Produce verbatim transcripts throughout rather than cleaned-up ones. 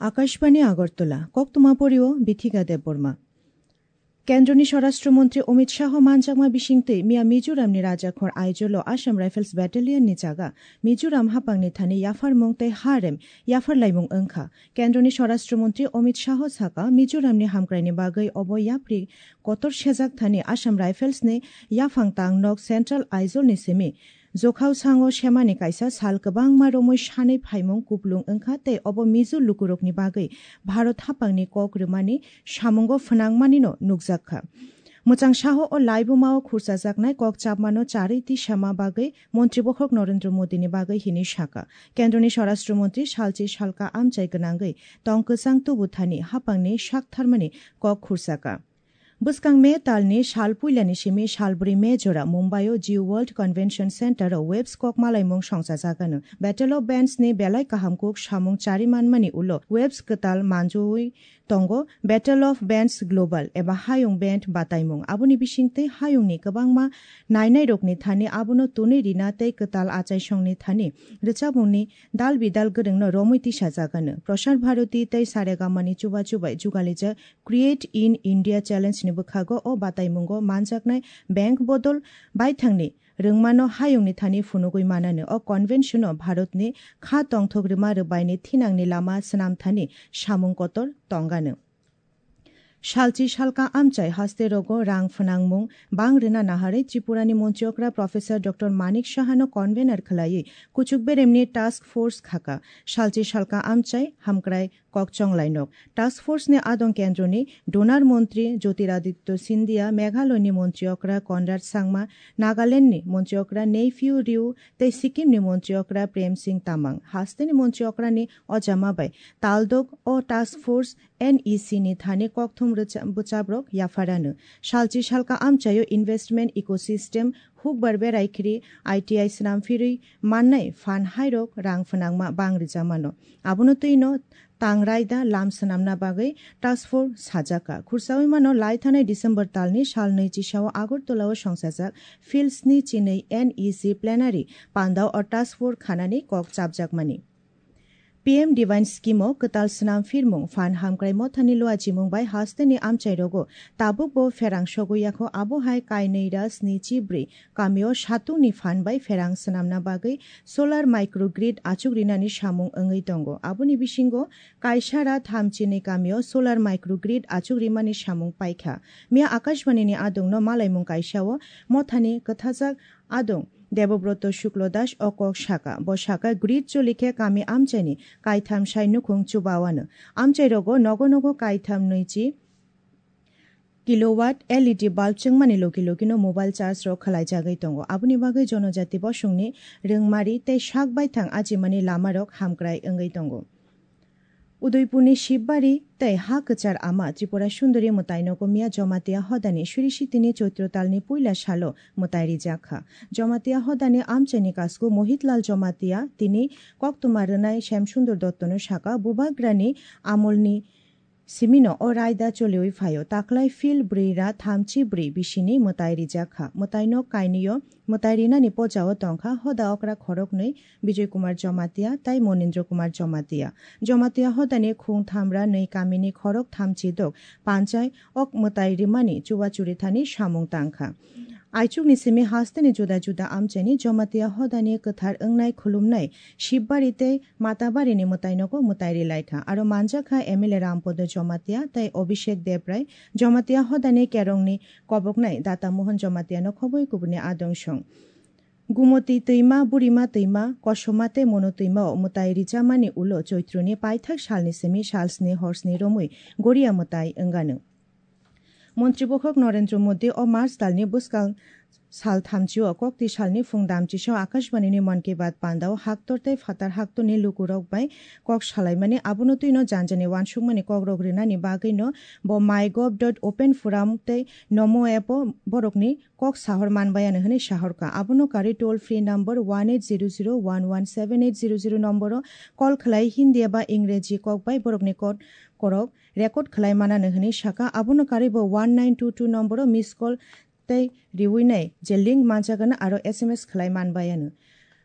Akashbani Agartala, koktwma porio Bithika Debbarma. Kendroni Swarashtra Montri Amit Shah manjakma bisingtwi miya Mizoramni rajakhor Aizawl-o Assam Rifles Battalion-ni jaga Mizoram haphangni thani yapharmung tei harem yapharlaimung wngkha. Kendroni Swarashtra Montri Amit Shah saka, Mizoramni hamkraini bagwi obo yapri kotor sejak thani Assam Rifles-ni yaphang tang nok Central Aizawl-ni simi Jokhao sango semani kaisa sal kwbangma romwi sanwi phaimung kuplung wngkha tei obo Mizo lukurokni bagwi Bharat haphangni kok rwmani samungo phnangmanino nukjak kha. Mwchang saho o laibumao khurchajaknai kok chapmano charwi tisama bagwi Montri Bokhok Narendra Modini bagwi hini saka. Kendroni Swarashtra Montri salchi salka amchai gwnangwi tong kwchang tubu thani haphangni sak tharmani kok khurchaka. Bwskang May talni sal puilani simi sal bwrwi May jora Mumbai-o Jew World Convention Center-o Waves kok malaimung songchajagano. Battle of Bands ni belai kaham kuk samung chari manmani ulo Waves kwtal manjui tongo Battle of Bands Global eba Hayung Band bataimung. Aboni bisingtwi hayungni kwbangma nainairokni thani abono tunwi rina tei kwtal achaisongni thani rwchapmungni dal bidal gwrwngno romwi tisajagano. Prasar Bharati tei Saregamani chuba chubai jugalijak Create in India Challenge ni bwkhago o bataimungo manjaknai bank bodol baithangni rwngmano hayungni thani phunugwi manano. O convention-o Bharatni kha tongthok rwma rwbaini thinangni lama swnam thani samung kotor tongano. Salchi salka amchai haste rogo rang phnangmung bang rwna naharwi Tripurani Montri Okra Professor Doctor Manik Sahano convener khwlaiwi kuchuk beremni task force khaka. Salchi salka amchai hamkrai kok chonglainok. Task force ni adong kendroni Donar Montri Jyotiraditya Scindia, Meghalaya ni Montri Okra Conrad Sangma, Nagaland ni Montri Okra Neiphiu Rio tei Sikkim ni Montri Okra Prem Singh Tamang. Haste ni Montri Okra ni ojama bai taldok o task force N E C ni thani kokthum rwcha-, bwchabrok yapharano. Salchi salka amchaio investment ecosystem, hukbar berai khiri I T I swnam phirwi mannai phan hairok rang phnangma bang rijamano. Abono twino tang raida lam swnamna bagwi task force sajaka. Khursaui mano lai thanai December talni sal nwi chisao Agartala-o songsajak Field sni chinwi N E C plenary pandao o task force khanani kok chapjakmani. P M Divine Scheme-o kwtal swnam phirmung phan hamkrai mothani luachimung bai hasteni amchairogo tabukbo pherang sogwi yakho, abo hai kainwi ra sni chi bwrwi kamio satungni phan bai pherang swnamna bagwi solar microgrid achuk rinani samung wngwi tongo. Aboni bisingo kaisa ra tham chinwi kamio solar microgrid achuk rimani samung paikha. Miya Akashbani ni adongno malaimung kaisao mothani kwthajak adong Debobroto Shuklo Das o kok saka. Bo saka, grid choli khe kami amchaini kaitham sai nukhung chubawano. Amchairogo nogo nogo kaitham nwichi kilowatt L E D bulb chwngmani logi logino mobile charge rok khwlaijagwi tongo. Aboni bagwi jonojati bosongni rwngmari tei sak baithang achimani lamarok hamkrai wngwi tongo. Udaipurni Shibari tei ha kwchar ama Tripura Sundori mwtainogo miya Jamatia hodani suri sitini Choitro talni puila salo mwtai rijak kha. Jamatia hodani amchaini kasku Mohitlal Jamatia tini koktwma rwnai Shyam Sundor Dottono saka, Bubagrani amolni simino o raida choliwi phaio. Taklai Phil bwrwi ra thamchi bwrwi bisini mwtai rijak kha. Mwtaino kainwio mwtai rinani pojao tongkha hoda okra khoroknwi Bijoy Kumar Jamatia tai Monindra Kumar Jamatia. Jamatia hodani khung thamra nwi kamini khorok thamchi dok panchai ok mwtai rimani chuba churi thani samung tangkha. Aichukni simi hasteni juda juda amchaini Jamatia hodani kwthar wngnai khulumnai Shibari tei Matabarini mwtainogo mwtai rilaikha. Aro manjakha M L A Rampodo Jamatia tai Abhishek Debrai, Jamatia hodani kerongni koboknai Data Mohan Jamatiano khoboi kubuni adong song. Gumoti twima, Burima twima, Kosoma tei Mono twimao mwtai rijamani ulo Choitroni paithak salni simi salsni horsni romwi Goria mwtai wngano. Montri Bokhok Narendra Modi o March talni bwskang sal thamchio kokti salni phung damchisao Akashbanini Mann Ki Baat pandao haktor tei phatar haktorni lukurok bai kok salaimani, abono twino janjani wansukmani kokrok rinani bagwino bo mygov dot open forum tei Namo app-o borokni kok sahor manbayano hwnwi sahorkha. Abono karwi toll free number one eight zero zero one one seven eight zero zero nomboro call khlai Hindi eba Ingreji kok bai borokni kok korok record khlai manano hwnwi sakha. Abono karwi bo one nine two two nomboro miss call tei riwi nai je link manjagano aro S M S khlai manbayano.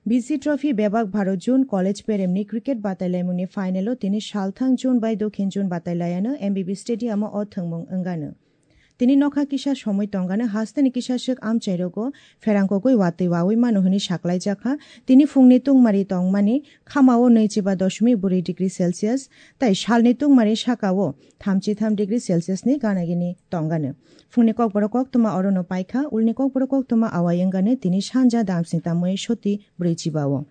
B C Trophy bebak baro June college peremni cricket batailaimungni final-o tini salthang June bai dokhin June batailaiano M B B stadium-o o thwngmung wngano. Tini nokha kisa somoi tongano hasteni kisa swk amchairogo pherangkogwi watwi wawi mano hwnwi saklaijakha. Tini phungni tungmari tongmani khamao nwichiba doshmik bwrwi degree Celsius tai salni tungmari sakao thamchi tham degree Celsius ni gana gini tongano. Phungni kokborok koktwma orono paikha, ulni kokborok koktwma awai wngano tini sanja damsni tamwi soti bwrwi chibao.